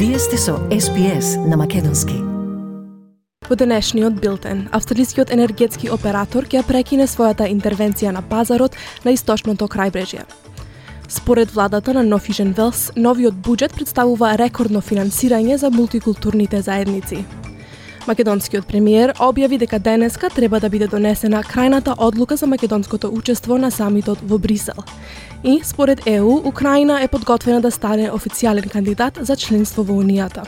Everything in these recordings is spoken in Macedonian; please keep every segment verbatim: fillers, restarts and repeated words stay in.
Вие сте со Ес Би Ес на македонски. Во денешниот билтен, австралискиот енергетски оператор ќе прекине својата интервенција на пазарот на источното крајбрежје. Според владата на North Vision Wales, новиот буџет представува рекордно финансирање за мултикултурните заедници. Македонскиот премиер објави дека денеска треба да биде донесена крајната одлука за македонското учество на самитот во Брисел. И, според Е У, Украина е подготвена да стане официјален кандидат за членство во Унијата.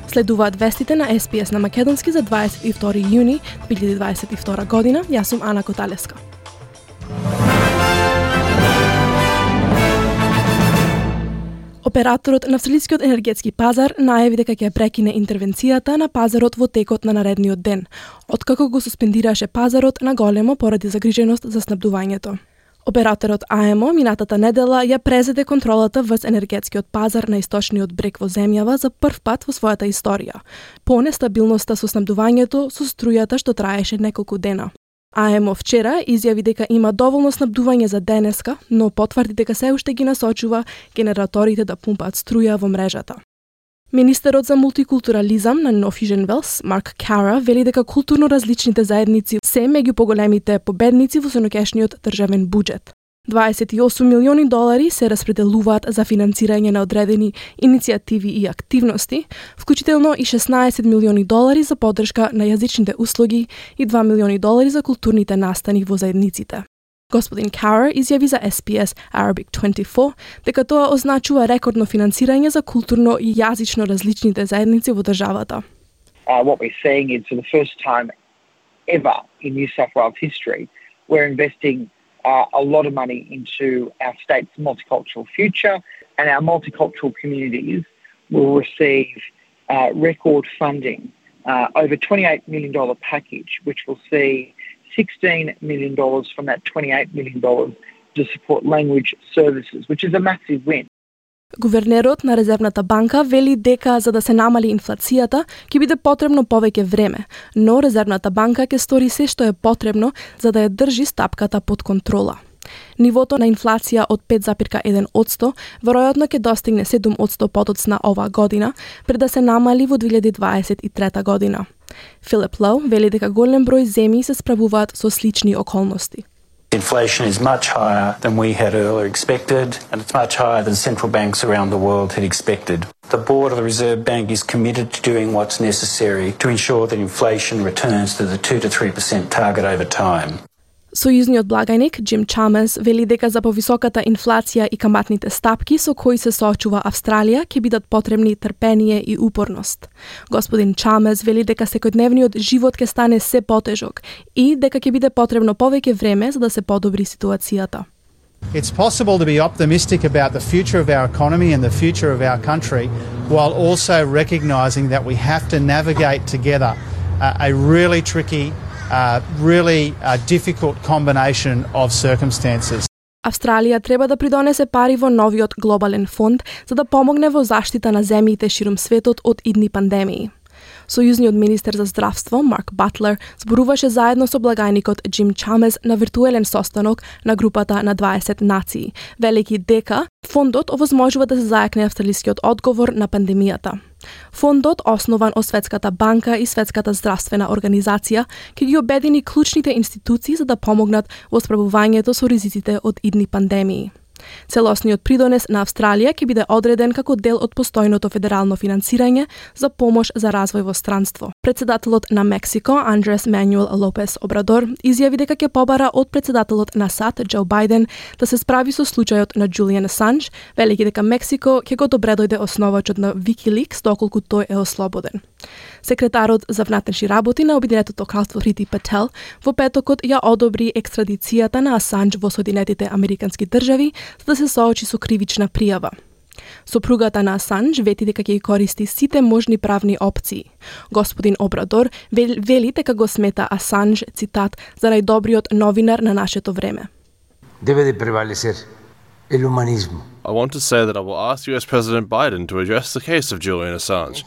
Следуваат вестите на Ес Би Ес на македонски за дваесет и втори јуни две илјади дваесет и втора година. Јас сум Ана Коталеска. Операторот на австралискиот енергетски пазар најави дека ќе прекине интервенцијата на пазарот во текот на наредниот ден, откако го суспендираше пазарот на големо поради загриженост за снабдувањето. Операторот А Ем О минатата недела ја презеде контролата врз енергетскиот пазар на источниот брег во земјава за прв пат во својата историја, по нестабилноста со снабдувањето со струјата што траеше неколку дена. А Ем О вчера изјави дека има доволно снабдување за денеска, но потврди дека се уште ги насочува генераторите да пумпаат струја во мрежата. Министерот за мултикултурализам на North Vision Wales, Марк Кара, вели дека културно различните заедници се меѓу поголемите победници во сенокешниот државен буџет. дваесет и осум милиони долари се распределуваат за финансирање на одредени иницијативи и активности, вклучително и шеснаесет милиони долари за поддршка на јазичните услуги и два милиони долари за културните настани во заедниците. Господин Кара изјави за Ес Би Ес Arabic дваесет и четири дека тоа означува рекордно финансирање за културно и јазично различните заедници во државата. Uh, what we're seeing is for the first time ever in New South Wales history, we're investing Uh, a lot of money into our state's multicultural future, and our multicultural communities will receive uh, record funding, uh, over twenty-eight million dollars package, which will see sixteen million dollars from that twenty-eight million dollars to support language services, which is a massive win. Гувернерот на Резервната банка вели дека за да се намали инфлацијата ќе биде потребно повеќе време, но Резервната банка ќе стори се што е потребно за да ја држи стапката под контрола. Нивото на инфлација од пет запирка еден одсто веројатно ќе достигне седум одсто подоцна оваа година, пред да се намали во две илјади дваесет и трета година. Филип Лоу вели дека голем број земји се справуваат со слични околности. Inflation is much higher than we had earlier expected, and it's much higher than central banks around the world had expected. The board of the Reserve Bank is committed to doing what's necessary to ensure that inflation returns to the two to three percent target over time. Сојузниот благајник Джим Чамес вели дека за повисоката инфлација и каматните стапки со кои се соочува Австралија ќе бидат потребни трпение и упорност. Господин Чамес вели дека секојдневниот живот ќе стане се потежок и дека ќе биде потребно повеќе време за да се подобри ситуацијата. It's possible to be optimistic about the future of our economy and the future of our country while also recognising that we have to navigate together uh, a really tricky Uh, really uh, difficult combination of circumstances. Австралија треба да придонесе пари во новиот глобален фонд за да помогне во заштита на земјите ширум светот од идни пандемии. Сојузниот министер за здравство Марк Батлер зборуваше заедно со благајникот Джим Чамес на виртуелен состанок на групата на дваесет нации, велики дека фондот овозможува да се зајакне австралискиот одговор на пандемијата. Фондот, основан од Светската банка и Светската здравствена организација, ќе ги обедини клучните институции за да помогнат во справувањето со ризиците од идни пандемии. Целосниот придонес на Австралија ќе биде одреден како дел од постојното федерално финансирање за помош за развој во странство. Председателот на Мексико, Андрес Мануел Лопес Обрадор, изјави дека ќе побара од председателот на САД, Џо Бајден, да се справи со случајот на Џулијан Асанџ, велики дека Мексико ќе го добредојде основачот на Wikileaks доколку тој е ослободен. Секретарот за внатрешни работи на Обединетото кралство Прити Пател во петокот ја одобри екстрадицијата на Асанџ во Соединетите Американски држави за да се соочи со кривична пријава. Сопругата на Асанџ вети дека ќе користи сите можни правни опции. Господин Обрадор вели дека го смета Асанџ, цитат, за најдобриот новинар на нашето време. Debe de prevalecer el humanismo. I want to say that I will ask U S President Biden to address the case of Julian Assange.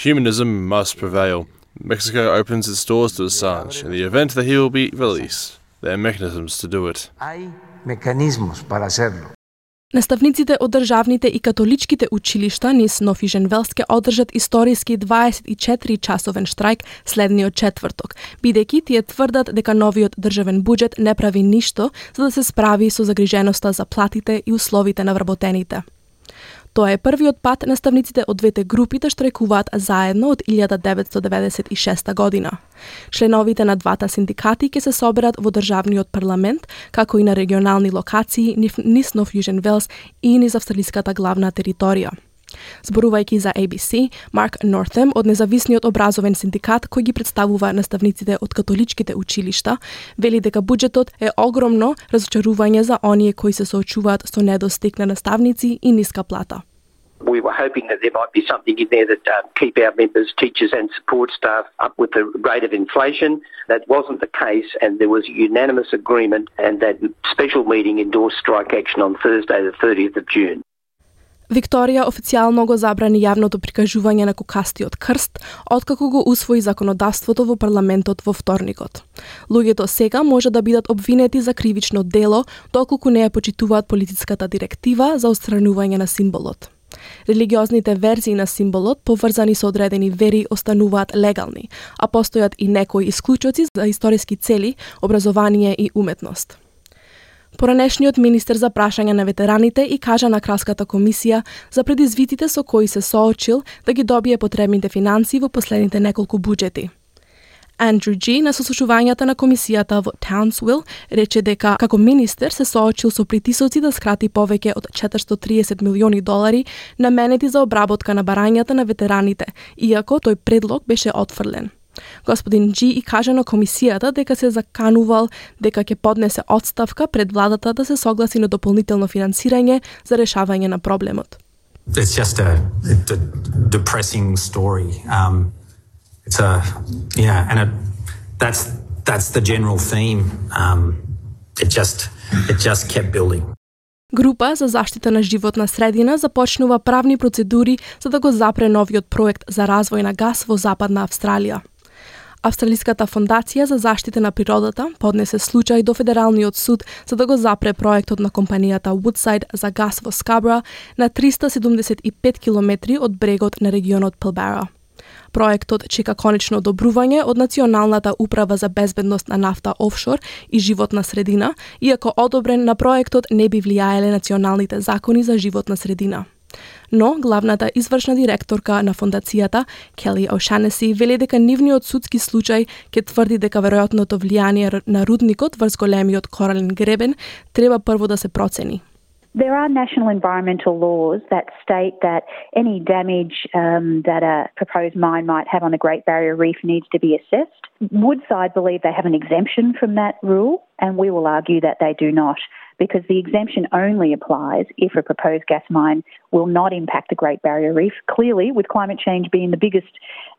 Humanism must prevail. Mexico opens its doors to Assange in the event that he will be released. There are mechanisms to do it. Hay mecanismos para hacerlo. Наставниците од државните и католичките училишта низ Нов Южен Велс ќе одржат историски дваесет и четири часовен штрајк следниот четврток, бидејќи тие тврдат дека новиот државен буџет не прави ништо за да се справи со загриженоста за платите и условите на вработените. Тоа е првиот пат наставниците од двете групи да штрајкуваат заедно од илјада деветстотини деветдесет и шеста година. Членовите на двата синдикати ќе се соберат во државниот парламент, како и на регионални локации низ Нов Южен Велс и низ австралиската главна територија. Зборувајќи за A B C, Марк Нортем од независниот образовен синдикат кој ги представува наставниците од католичките училишта, вели дека буџетот е огромно разочарување за оние кои се соочуваат со недостиг на наставници и ниска плата. We were hoping that there might be something in there that uh, keep our members, teachers and support staff up with the rate of inflation. That wasn't the case, and there was unanimous agreement, and that special meeting endorsed strike action on Thursday the thirtieth of June. Викторија официјално го забрани јавното прикажување на кокастиот крст, откако го усвои законодавството во парламентот во вторникот. Луѓето сега може да бидат обвинети за кривично дело, доколку не ја почитуваат политичката директива за отстранување на символот. Религиозните верзии на символот, поврзани со одредени вери, остануваат легални, а постојат и некои исклучоци за историски цели, образование и уметност. Поранешниот министер за прашање на ветераните и кажа на Кралската комисија за предизвиците со кои се соочил да ги добие потребните финансии во последните неколку буџети. Андрю Джи на сослушувањата на комисијата во Townsville рече дека како министер се соочил со притисоци да скрати повеќе од четиристотини и триесет милиони долари наменети за обработка на барањата на ветераните, иако тој предлог беше отфрлен. Господин Джи и кажа на комисијата дека се заканувал дека ќе поднесе отставка пред владата да се согласи на дополнително финансирање за решавање на проблемот. It's just a, a depressing story. Um, it's a yeah, and it, that's that's the general theme. Um, it just it just kept building. Група за заштита на животна средина започнува правни процедури за да го запре новиот проект за развој на гас во Западна Австралија. Австралиската фондација за заштита на природата поднесе случај до Федералниот суд за да го запре проектот на компанијата Woodside за гас во Скабра на триста седумдесет и пет километри од брегот на регионот Пилбара. Проектот чека конечно одобрување од Националната управа за безбедност на нафта офшор и животна средина, иако одобрен на проектот не би влијаеле националните закони за животна средина. Но главната извршна директорка на фондацијата, Келли O'Shannessy, вели дека нивниот судски случај ќе тврди дека веројатното влијание на рудникот врз големиот корален гребен треба прво да се процени. There are national environmental laws that state that any damage um, that a proposed mine might have on the Great Barrier Reef needs to be assessed. Woodside believe they have an exemption from that rule, and we will argue that they do not, because the exemption only applies if a proposed gas mine will not impact the Great Barrier Reef. Clearly, with climate change being the biggest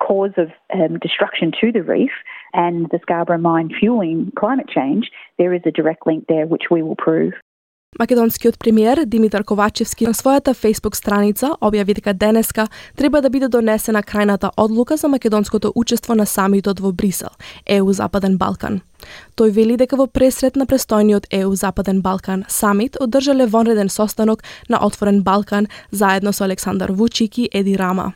cause of um, destruction to the reef and the Scarborough mine fueling climate change, there is a direct link there which we will prove. Македонскиот премиер Димитар Ковачевски на својата Facebook страница објави дека денеска треба да биде донесена крајната одлука за македонското учество на самитот во Брисел, Е У Западен Балкан. Тој вели дека во пресрет на престојниот Е У Западен Балкан самит одржале вонреден состанок на Отворен Балкан заедно со Александар Вучик и Еди Рама.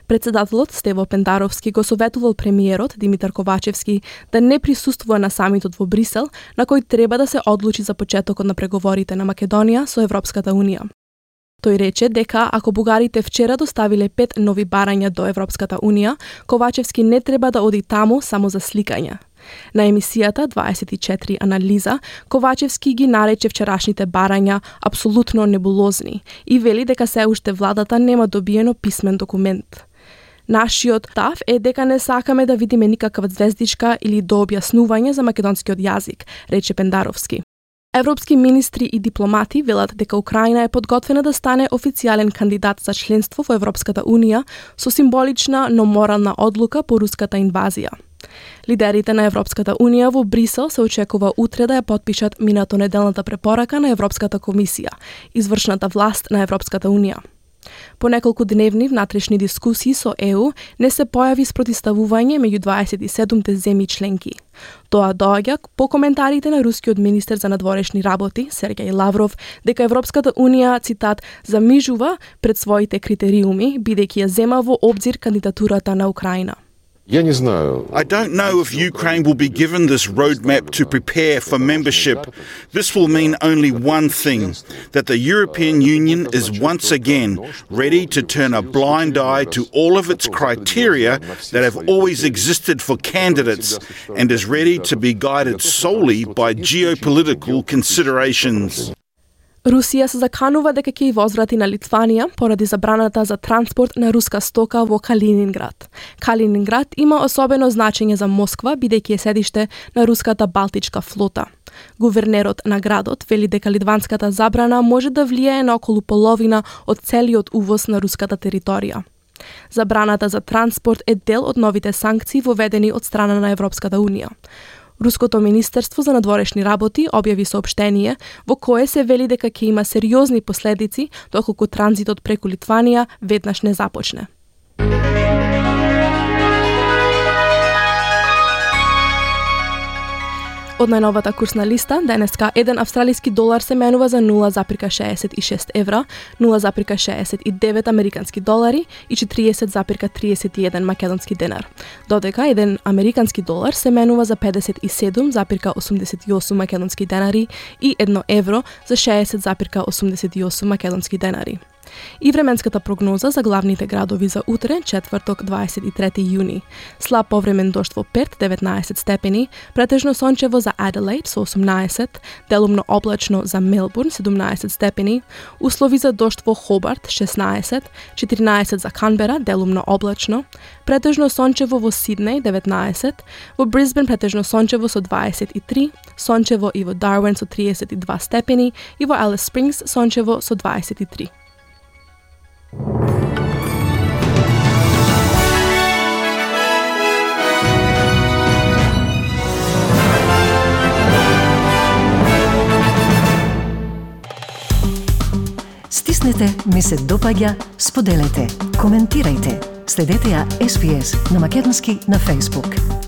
Председателот Стево Пендаровски го советувал премиерот Димитар Ковачевски да не присуствува на самитот во Брисел, на кој треба да се одлучи за почетокот на преговорите на Македонија со Европската Унија. Тој рече дека ако бугарите вчера доставиле пет нови барања до Европската Унија, Ковачевски не треба да оди таму само за сликање. На емисијата дваесет и четири анализа, Ковачевски ги нарече вчерашните барања апсолутно небулозни и вели дека се уште владата нема добиено писмен документ. Нашиот став е дека не сакаме да видиме никаква звездичка или дообјаснување за македонскиот јазик, рече Пендаровски. Европски министри и дипломати велат дека Украина е подготвена да стане официјален кандидат за членство во Европската Унија со символична, но морална одлука по руската инвазија. Лидерите на Европската Унија во Брисел се очекува утре да ја подпишат минато неделната препорака на Европската комисија, извршната власт на Европската Унија. По неколку дневни внатрешни дискусии со Е У не се појави спротивставување меѓу дваесет и седумте земји членки. Тоа доаѓа по коментарите на рускиот министер за надворешни работи Сергеј Лавров дека Европската унија, цитат, замижува пред своите критериуми бидејќи ја зема во обзир кандидатурата на Украина. I don't know if Ukraine will be given this roadmap to prepare for membership. This will mean only one thing, that the European Union is once again ready to turn a blind eye to all of its criteria that have always existed for candidates and is ready to be guided solely by geopolitical considerations. Русија се заканува дека ќе ја возврати на Литванија поради забраната за транспорт на руска стока во Калининград. Калининград има особено значење за Москва, бидејќи е седиште на руската Балтичка флота. Гувернерот на градот вели дека литванската забрана може да влијае на околу половина од целиот увоз на руската територија. Забраната за транспорт е дел од новите санкции воведени од страна на Европската унија. Руското министерство за надворешни работи објави соопштение во кое се вели дека ќе има сериозни последици доколку транзитот преку Литванија веднаш не започне. Од најновата курсна листа, денеска еден австралиски долар се менува за нула запирка шеесет и шест евра, нула запирка шеесет и девет американски долари и четириесет запирка триесет и еден македонски денар. Додека еден американски долар се менува за педесет и седум запирка осумдесет и осум македонски денари и едно евро за шеесет запирка осумдесет и осум македонски денари. И временската прогноза за главните градови за утре, четврток, дваесет и трети јуни. Слаб повремен дожд во Перт, деветнаесет степени, претежно сончево за Аделаид со осумнаесет, делумно облачно за Мелбурн, седумнаесет степени, услови за дожд во Хобарт, шеснаесет, четиринаесет за Канбера, делумно облачно, претежно сончево во Сиднеј, деветнаесет, во Брисбен претежно сончево со дваесет и три, сончево и во Дарвин со триесет и два степени и во Алис Спрингс сончево со дваесет и три. Стиснете, ми се допаѓа, споделете, коментирајте. Следете ја Ес Би Ес на македонски на Facebook.